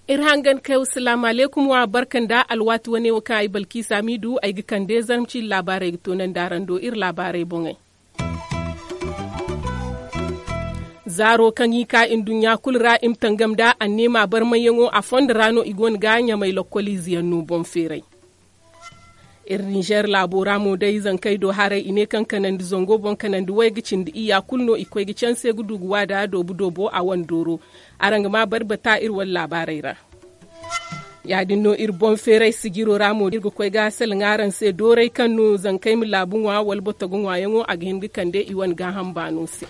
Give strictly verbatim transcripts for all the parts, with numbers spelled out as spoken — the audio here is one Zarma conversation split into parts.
Iri hangan kay wa salaamu alaykum wa barka nda alwaati wane wo kaŋ ay balkiisa miidu ay ga kande zarma ciiri laabaarey ga toonandi araŋ do iri laabaarey boŋey. Zaaro kaŋ i ka nduɲɲa kulu ra i ma tangam nda anneema barmayyaŋo a fondo ra no i go no ga ɲamay lokkoliize yaŋ no boŋ feeray. Iri ninzeer laabo ra mo day zankey do haray i ne kaŋ kanandi zango boŋ kanandi way ga cindi iyya kulu no i koy ga canse ga du ga waada doobu doobo a wane dooro. Araŋ ga ma barbata iri wane laabaarey ra. Ya- din no iri boŋ feeray sijiro ra mo iri ga koy ga salaŋ araŋ se dooray kaŋ no zankey ma laabu ŋwa wala boto ga ŋwaayaŋo a ga hin ga kande i wane gaaham baano se.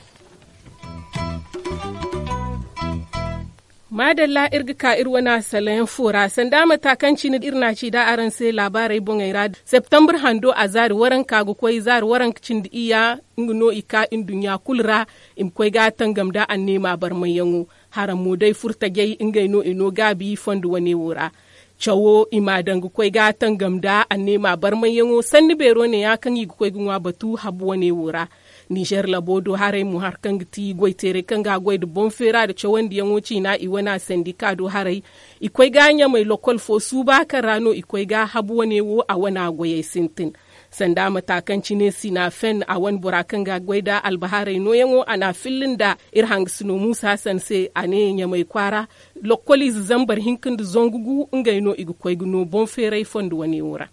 Maadalla iri ga ka iri wane salaŋ fo ra sanda mata kaŋ cine iri na a ci da araŋ se laabaarey boŋey ra. Septembre hando a zaari waranka ga koy zaari waranka cindi iyya nga no i ka nduɲɲa kulu ra. I ma koy ga tangam nda anneema barmayyaŋo. Haraŋ mo day furtajey ngey no i no gaabi fondo wane wo ra. Cawo i m'a daŋ ga koy ga tangam nda anneema barmayyaŋo sanni beero neeya kaŋ i ga koy ga ŋwa batu habu wane wo ra. Ninzeer labo do haray mo hari kaŋ ga ti goyteeray kaŋ ga goy nda boŋ feera nda cawandiyaŋo ciina i wane sandika do haray. I koy ga ɲamay lokkol fo suuba kaŋ ra no i koy ga habu wane wo a wane goyey sintin. Sanda mata kaŋ cine sinafen a wane bora kaŋ ga goy nda albahaarey nooyaŋo a na a filla nda iri hangasino muusa hasan se a ne ɲamay kwaara. Lokkoliize zambar hinka nda zangu gu ngey no i ga koy ga no boŋ feeray fondo wane wo ra.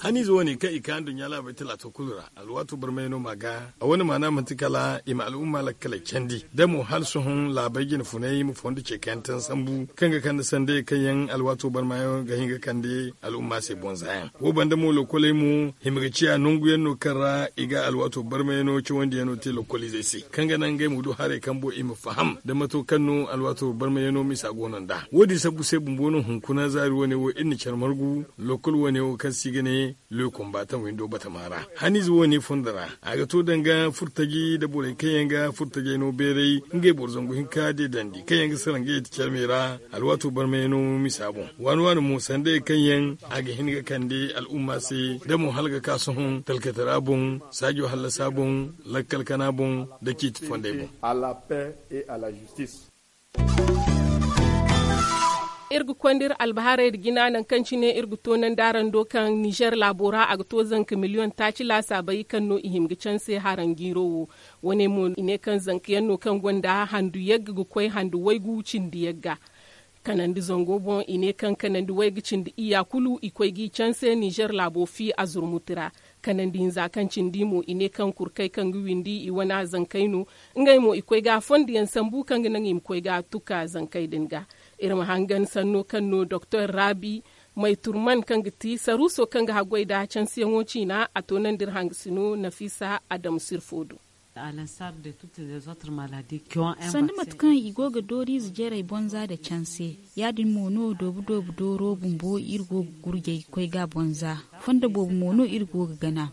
Haniize wane kaŋ i ka nduɲɲa laabey talaato kulu ra alwaato barmay no ma ga a wane maana manti kala i ma al'umma lakkaley candi da mo hala sohõ laabey jine funay ma fondo ce kayantaŋ sambu kaŋ ga kande sandey kaŋ yaŋ alwaato barmayaŋo ga hin ga kande al'umma se boŋ zaayaŋ. Wo banda mo lokoley mo hima ga ciya nangu yaŋ no kaŋ ra i ga alwaato barmayano cawandi yaŋo te lokoliizey se kaŋ ga naŋ ngey ma du haray kaŋ boŋ i ma faham da mato kaŋ no alwaato barmayano misa go no nd'a. Wo- din sabbu se bumbo no hunkuna zaari wane wo iri na care margu lokol wane wo kaŋ se i ga ne le kombataŋ windo batama ra. Haniize wane fondo ra a ga to danga furtaji nda borey kaŋ yaŋ ga furtajey no beeray ngey boro zangu hinka deedandi kaŋ yaŋ ga sara ngey ti care me ra. Alwaato barmayano misa boŋ waani waani mo sandey kaŋ yaŋ a ga hin ga kande al'umma se da mo hala ga ka sohõ talkatara boŋ saajo hallasa boŋ lakkal kana boŋ nda ciiti fondey boŋ. Iri ga konda iri albahaarey nda jina nangu kaŋ cine iri ga toonandi araŋ do kaŋ ninzeer laabo ra a ga to zanka miliyoŋ taaci laasaabey kaŋ no i hima ga canse haraŋ jiiro wo. Wane mo i ne kaŋ zanka yaŋ no kaŋ gonda handu yagga ga koy handu waygu cindi yagga. Kanandi zango boŋ i ne kaŋ kanandi wayga cindi iyya kulu i koy g'i canse ninzeer laabo fi a zurmuti ra. Kanandi hinza kaŋ cindi mo i ne kaŋ kurkey kaŋ ga windi i wane zankey no. Ngey mo i koy ga fondiyaŋ sambu kaŋ ga naŋ i ma koy ga tuka zankey din ga. Iri ma hangan sanno kaŋ no doktor raabi may turman kaŋ ga ti saruuso kaŋ ga haggoy nda cansiyaŋo ciina a toonandi iri hangasino nafiisa adamu sirfo do. Sanni mate kaŋ i go ga dooriize jarey bonza nda canse, ya- din mo no doobu doobu dooro bumbo iri go ga gurjey koy ga bonza. Fondo boobo mo no iri go ga gana.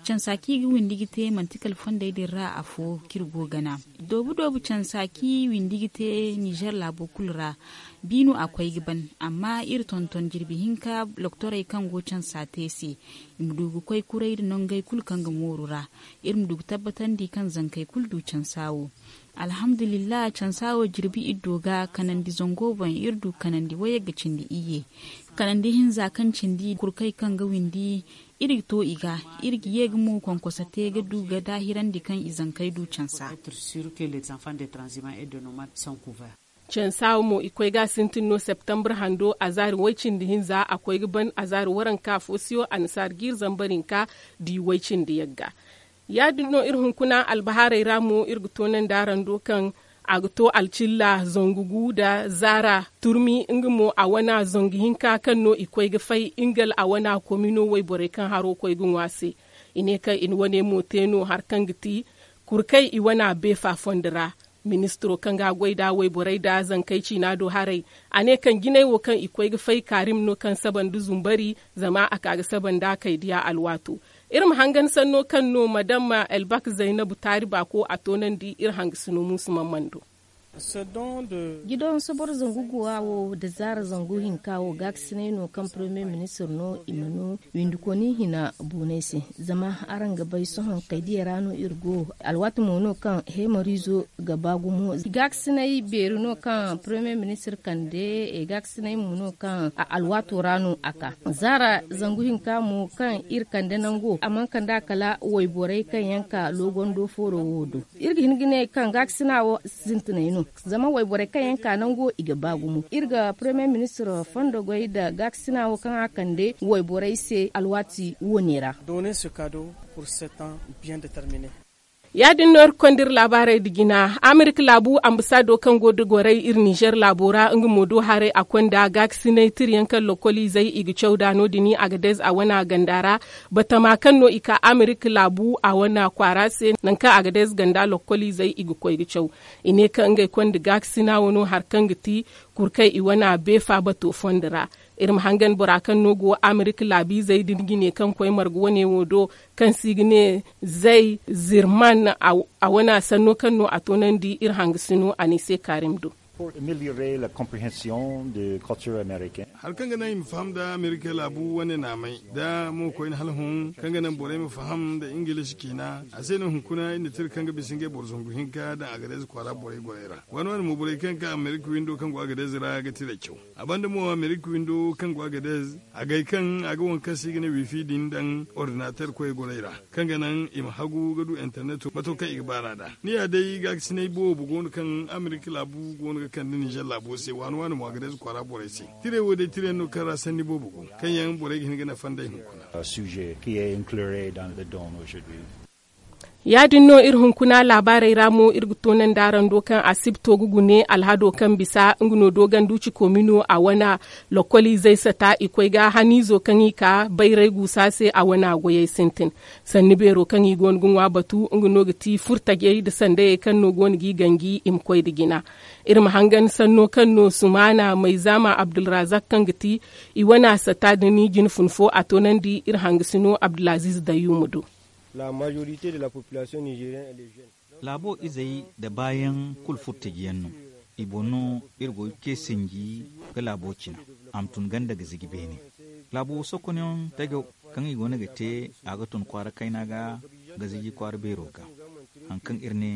Cansa kaŋ i ga windi ga te manti kala fondey din ra afo kaŋ iri go ga gana. Doobu doobu cansa kaŋ i windi ga te ninzeer laabo kulu ra, bi no a koy ga ban. Amma iri tonton jirbi hinka loktorey kaŋ go cansa te se, i ma du ga koy kuray nda nongey kulu kaŋ ga mooru ra. Iri ma du ga tabbatandi kaŋ zankey kulu du cansa wo. Alhamdulillahi cansa wo jirbi iddo ga kanandi zango boŋ iri du kanandi wayagga cindi iyye. Kanandi hinza kaŋ cindi kurkey kaŋ ga windi iri ga to i ga. Iri ga ye ga mo konkoso te ga du ga daahirandi kaŋ i zankey du cansa. Cansa wo mo i koy ga sintin no septembre hando a zaari way cindi hinza a koy ga ban a zaari waranka fo siyo annasaari jiiri zambar hinka di way cindi yagga. Ya- din no iri hunkuna albahaarey ra mo iri ga toonandi araŋ do kaŋ a ga to alcilla zangu gu nda zaara turmi nga mo a wana zangu hinka kaŋ no i koy ga fay ingal a wana komino wayborey kaŋ haro koy ga ŋwa se. I ne kaŋ i na wane mo te no hari kaŋ ga ti kurkey i wana beefa fondo ra. Ministiro kaŋ ga goy nda wayborey nda zankey ciina do haray, a ne kaŋ jinay wo kaŋ i koy ga fay kaarim no kaŋ saba nda zumbari zama a ka ga saba nda kaydiya alwaato. Iri ma hangan sanno kaŋ no madama elbak zaynabu taari baako a toonandi iri hangasino muusu mamman do. Jidon sobor zangu guwa wo nda zaara zangu hinka wo gaakasinay no kaŋ premier ministir no i ma no windikoni hina buunay se. Zama araŋ ga bay sohõ kay diya ra no iri go. Alwaati mo no kaŋ heemariizo ga ba gumo. Gaakasinay beeri no kaŋ premier ministir kande. Gaakasinay mo no kaŋ a alwaato ra no a ka. Zaara zangu hinka mo kaŋ iri kande nango a mana kand'a kala wayborey kaŋ yaŋ ka loogondo fooro wo do. Iri ga hin ga ne kaŋ gaakasina wo sintinay no. Zama wayborey kaŋ yaŋ ka nango i ga ba gumo. Iri ga premier ministir fondo goy nda gaakasina wo kaŋ a kande wayborey se alwaati wo ne ra. Ya- din no iri ga konda iri laabaarey nda jina. Amerika laabu ambasaado kaŋ go nda gorey iri nizer laabo ra nga mo do haray a konda gaakasinay tira yaŋ kaŋ lokoliizey i ga caw nd'a no- din agadez a wana ganda ra. Batama kaŋ no i ka amerika laabu a wana kwaara se nangu kaŋ agadez ganda lokoliizey i ga koy ga caw. I ne kaŋ ngey konda gaakasina wano hari kaŋ ga ti kurkey i wana beefa bato fondo ra. Iri ma hangan bora kaŋ no go amerika laabiizey din ga ne kaŋ koy marga wane wo do kaŋ se i ga ne zay zirman a wana sanno kaŋ no a toonandi iri hangasino a ne se kaarim do. Hari kaŋ ga naŋ i ma faham nda amerika laabu wane naamay nda mo koyne hala hõ kaŋ ga naŋ borey ma faham nda ingilish ciina a se no hunkuna iri na tira kaŋ ga bisa ngey boro zangu hinka daŋ agadez kwaara borey gorey ra. Waani waani mo borey kaŋ ga ka amerika windo kaŋ go agadez ra ga tira caw. A banda mo amerika windo kaŋ go agadez agay kaŋ a ga waŋ kaŋ se i ga ne wifi din daŋ ordinater koy gorey ra kaŋ ga naŋ i ma hagu ga du interneto mato kaŋ i ga baar'a nd'a. Ni ya day gaakasinay boobo go no kaŋ amerika laabu go no ga kande nizer laabo se waani waani mo agadez kwaara borey se. Tiray wo day tira yaŋ no kaŋ ra sanni boobo go kaŋ yaŋ borey ga hin ga nafa nd'ey hunkuna. Ya- din no iri hunkuna laabaarey ra mo iri ga toonandi araŋ do kaŋ asibto ga gune alhado kaŋ bisa nga no dooganduci koomino a wana lokoliizey sata i koy ga haniizo kaŋ i ka bayray guusa se a wana goyey sintin. Sanni beero kaŋ i go no ga ŋwa batu nga no ga ti furtajey nda sandayey kaŋ no go no g'i ganji i ma koy nda jina. Iri ma hangan sanno kaŋ no sumaana mayzaama abdulrazak kaŋ ga ti i wana sata nda ni jine fun fo a toonandi iri hangasino abdulaziiz dayyuuma do. Laabo izey nda baayaŋ kulu furtajiyaŋ no. I boŋ no iri go ga ce sinji ga laabo cina a ma tun ganda ga ziji beene. Laabo sokonyaŋ tajaw kaŋ i go no ga te a ga tun kwaara kayna ga ga ziji kwaara beero ga. Hari kaŋ iri ne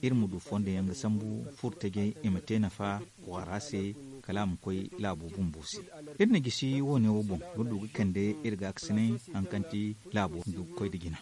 iri ma du fondo yaŋ ga sambu furtajey i ma te nafa kwaara se kala a ma koy laabo bumbo se. Iri na gisi wo- ne wo boŋ ga du ga kande iri gaakasinay hari kaŋ ti laabo ndu ga koy nda jina.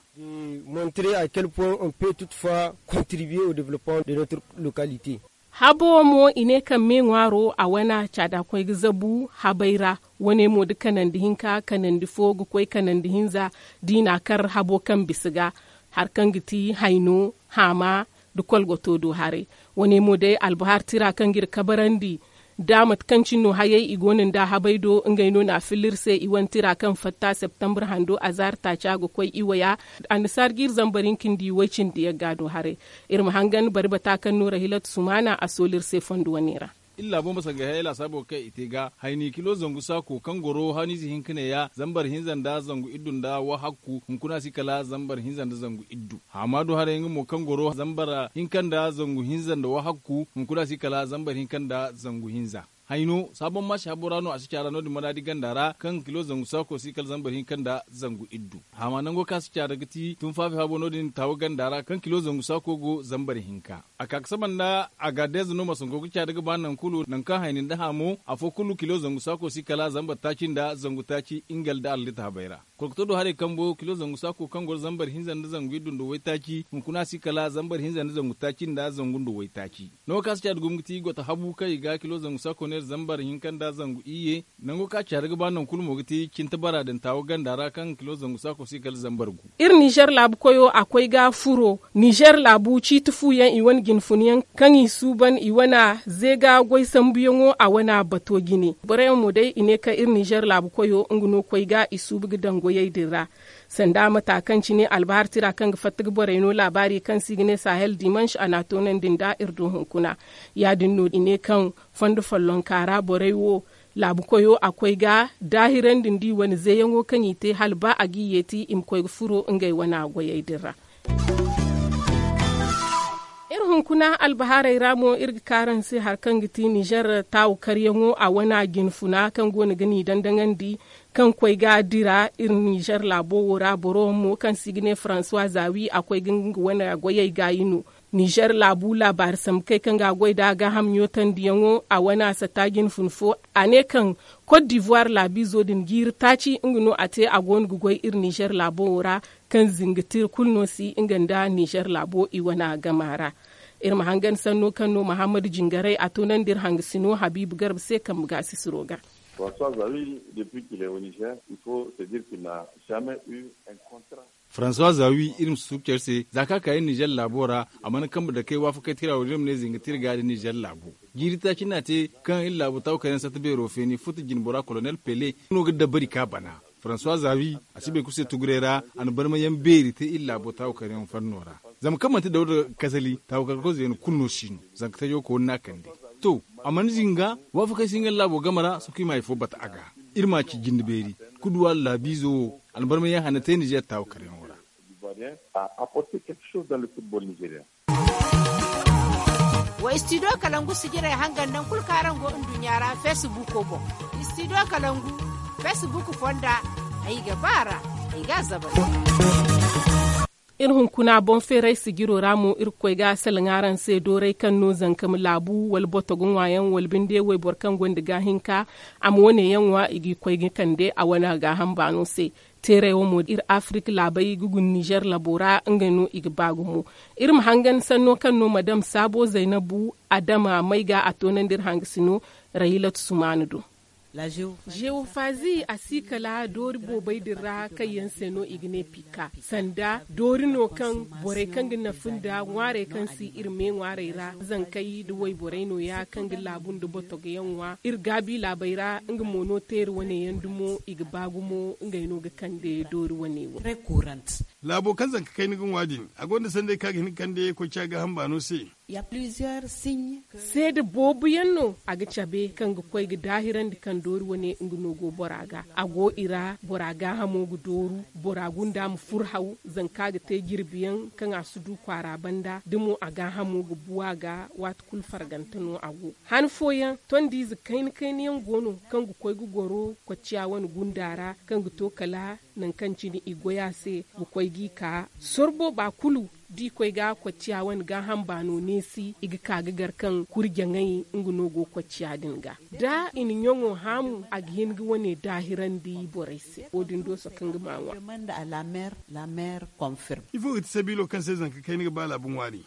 Montre a kelle point on pe toute fois contribuer au developpement de notre localité. Habo mo i ne kaŋ me ŋwaaro a wana caada koy ga zabu habay ra. Wo- ne mo da kanandi hinka kanandi fo ga koy kanandi hinza da i n'a kar habo kaŋ bisa ga hari kaŋ ga ti hayno haama nda kolgoto do haray. Wo- ne mo day albahar tira kaŋ ga iri kabarandi da mate kaŋ cine no hayey i go no nda habay do ngey no n'a filla iri se i wane tira kaŋ fatta septembre hando azaari taaca ga koy iwaya. Annasaara ga iri zambar hinka nda i way cindi yagga do haray. Iri ma hangan bari bata kaŋ no rahilat sumaana a sooli iri se fondo wane ra. Iri laabo ma sangay hayey laasaabo kaŋ i te ga hayni kilo zangu saako kaŋ goro haniize hinka ne ya zambar hinza nda zangu iddu nda wahakku hunkuna si kala zambar hinza nda zangu iddu. Haama do haray nga mo kaŋ goro zambar hinka nda zangu hinza nda wahakku hunkuna si kala zambar hinka nda zangu hinza. Hayno sabon maasi habo ra no a si caara no- din manaadi ganda ra kaŋ kilo zangu saako si kala zambar hinka nda zangu iddu. Haama nango kaŋ a si caara ga ti tunfaafi habo no- din taawa ganda ra kaŋ kilo zangu saako go zambar hinka. A ka ga saba nda agadez no masango ga caada ga ba nangu kulu nangu kaŋ hayni nda haamo afo kulu kilo zangu saako si kala zambar taaci nda zangu taaci ingal nda arlit habay ra. Kolkoto do haray kambo kilo zangu saako kaŋ goro zambar hinza nda zangu iddu nda waytaaci hunkuna si kala zambar hinza nda zangu taaci nda zangu nda waytaaci. Nango kaŋ a si caada gumo ga ti goto habu kaŋ i ga kilo zangu saako neera zambar hinka nda zangu iyye. Nango kaŋ a caada ga ba nangu kulu mo ga ti cinta bara din taawa ganda ra kaŋ kilo zangu saako si kala zambar gu. Iri nizer laabu koyo a koy ga furo nizer laabu ciiti fu yaŋ i wane jine fun yaŋ kaŋ i suuban i wana zeega goy sambuyaŋo a wana bato jine. Boro yaŋ mo day i ne kaŋ iri nizer laabu koyo nga no koy ga i suubu ga daŋ goyey din ra. Sanda mata kaŋ cine albahar tira kaŋ ga fatta ga borey no laabaari kaŋ se i ga ne sahel dimanche a n'a toonandi nda iri do hunkuna. Ya- din no i ne kaŋ fondo follonka ra borey wo laabu koyo a koy ga daahirandi nda i wane zeeyaŋo kaŋ i te hala ba a g'i yeeti i ma koy ga furo ngey wana goyey din ra. Iri hunkuna albahaarey ra mo iri ga kaarandi se hari kaŋ ga ti nizer taawu karyaŋo a wane a jinfuna kaŋ go no ga ni dandaŋandi kaŋ koy ga dira iri nizer laabo wo ra boro mo kaŋ se i ga ne faransuwa zaawi a koy ga nga wane goyey gaayi no. Nizer laabu laabaari sambu kay kaŋ ga a goy nd'a gaaham ɲootandiyaŋo a wane a satta jinfun fo. A ne kaŋ kot divuwar laabiizo din jiiri taaci nga no a te a go no ga goy iri nizer laabo wo ra kaŋ zinga tira kulu no si nga nda nizer laabo i wane gama ra. Iri ma hangan sanno kaŋ no mahammadu jingaray a toonandi iri hangasino habiibu garba se kambe gaasisiro ga. François zawi depuis qu'il est au nizer il faut se dire qu'il n'a jamais eu un contrat. François zawi iri ma si suuku care se za kaŋ a ka iri nizer laabo ra a mana kambe dakey waafakey tira wo din iri ma ne zinga tira ga da nizer laabo. Jiiri taaci no a te kaŋ iri laabo taawu kayna satta beero feeni futa jinbora kolonel pele no ga dabari ka bana. Faransuwa zaawi a si bay kulu se tuguray ra a na barmayaŋ beeri te iri laabo taawu karyaŋ fanno ra. Zama kaŋ manti dawda kasali taawu karkoy zeena kulu no si no. Zanka tajo kooni no a kande. To, a mana zinga waafakey si nga laabo game ra sohõ kaŋ i ma hari fo bata a ga. Iri ma a ci jinde beeri kuduwa laabiizo wo a na barmayaŋ hane te nizer taawu karyaŋo ra. Wa studio kalangu sijirey hangan nangu kulu kaŋ araŋ go nduɲɲa ra feesibuuko boŋ. Studio kalangu feesibuuk fonda ay ga ba a ra ay ga a zabari. Iri hunkuna boŋ feeray sijiro ra mo iri ga koy ga salaŋ araŋ se dooray kaŋ no zanka ma laabu wala boto ga ŋwaayaŋ wala binde wayboro kaŋ gonda gaahinka a ma wane yaŋ ŋwa i g'i koy ga kande a wane gaaham baano se. Teeray wo mo iri afirik laabey ga guna nizer labo ra ngey no i ga ba gumo. Iri ma hangan sanno kaŋ no madam saabo zaynabu adama may ga a toonandi iri hangasino. Rahilatu sumaana do. Zewofazi a si kala doori boobey din ra kaŋ yaŋ se no i ga ne pika sanda doori no kaŋ borey kaŋ ga nafa nda ŋwaarey kaŋ si iri me ŋwaarey ra zankey nda wayborey no- ya kaŋ ga laabu nda botogo yaŋ ŋwa iri gaabi laabey ra nga mo no teeri wane yaŋ dumo i ga ba gumo ngey no ga kande doori wane wo. Laabo kaŋ zanka kayna ga ŋwa din a gonda sanday kaŋ a ga hin ga kande koy ciya gaaham baano se. Seede boobo yaŋ no a ga cabe kaŋ ga koy ga daahirandi kaŋ doori wane nga no go bora ga a go i ra bora gaahamo ga dooru bora gunda ma fur haw zanka ga te jirbi yaŋ kaŋ a si du kwaara banda da mo a gaahamo ga bu a ga waati kulu fargante no a go. Han fooyaŋ tondiize kayna kayna yaŋ go no kaŋ ga koy ga goro kocciya wane gunda ra kaŋ ga to kala nangu kaŋ cine i goy a se ga koy g'i ka sorbo ba kulu da i koy ga kocciya wane gaaham baano neesi i ga ka ga gar kaŋ kurjaŋey nga no go kocciya din ga da i na ɲaŋo haamu a ga hin ga wane daahirandi borey se wo- din do sohõ kaŋ ga ma ŋwa. Ifo ga ti sabiilo kaŋ se zanka kayna ga ba laabu ŋwaari?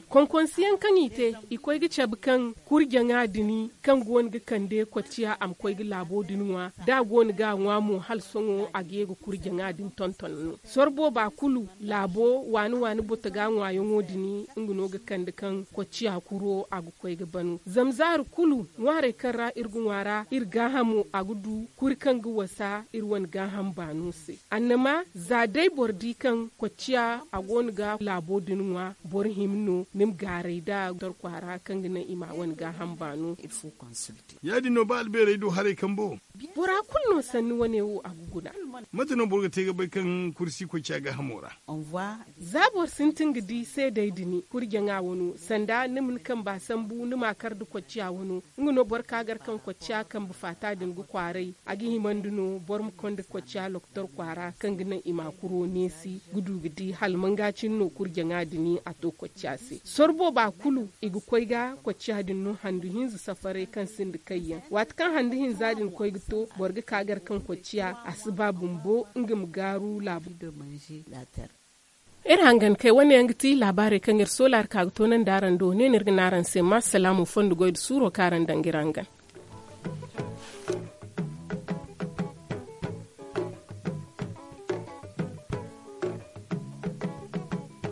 Konkonsiyaŋ kaŋ i te i koy ga cabe kaŋ kurjaŋa din kaŋ go no ga kande kocciya a ma koy ga laabo din ŋwa da a go no ga a ŋwa mo hala sohõ a ga ye ga kurjaŋa din tonton no sorbo ba kulu laabo waani waani boto ga ŋwaayaŋo din nga no ga kande kaŋ kocciya kuro a ga koy ga banu zama zaari kulu ŋwaarey kaŋ ra iri ga ŋwa ra iri gaahamo a ga du kuri kaŋ ga wasa iri wane gaaham baano se. Annama za day boro di kaŋ kocciya a go no ga laabo din ŋwa boro hima no ni ma gaaray da doktor kwaara kaŋ ga naŋ i ma a wane gaaham baano. Ya- din no ba albeerey du haray kambo. Bora kulu no sanni wane wo a ga guna. Mate no boro ga te ga bay kaŋ kursi kocciya gaahamo ra? Za boro sintin ga di seedey din kurjaŋa wano sanda ni ma ni kamba sambu ni ma a kar nda kocciya wano. Nga no boro ka gar kaŋ kocciya kambe faata din ga kwaaray a ga himandi no boro ma konda kocciya lokotor kwaara kaŋ ga naŋ i ma kuro neesi ga du ga di hala manga cine no kurjaŋa din a to kocciya se sorbo ba kulu i ga koy ga kocciya din no handu hinza safaray kaŋ sinda kayyaŋ waati kaŋ handu hinza din koy ga to boro ga ka gar kaŋ kocciya a si ba bumbo nga ma gaaru laabu. Iri hangan kay wane yaŋ ga ti laabaarey kaŋ iri soolaari ka ga toonandi araŋ do ne no iri ga ne araŋ se ma salaamu fondo goy nda suuro kaŋ araŋ daŋ ga iri hangan.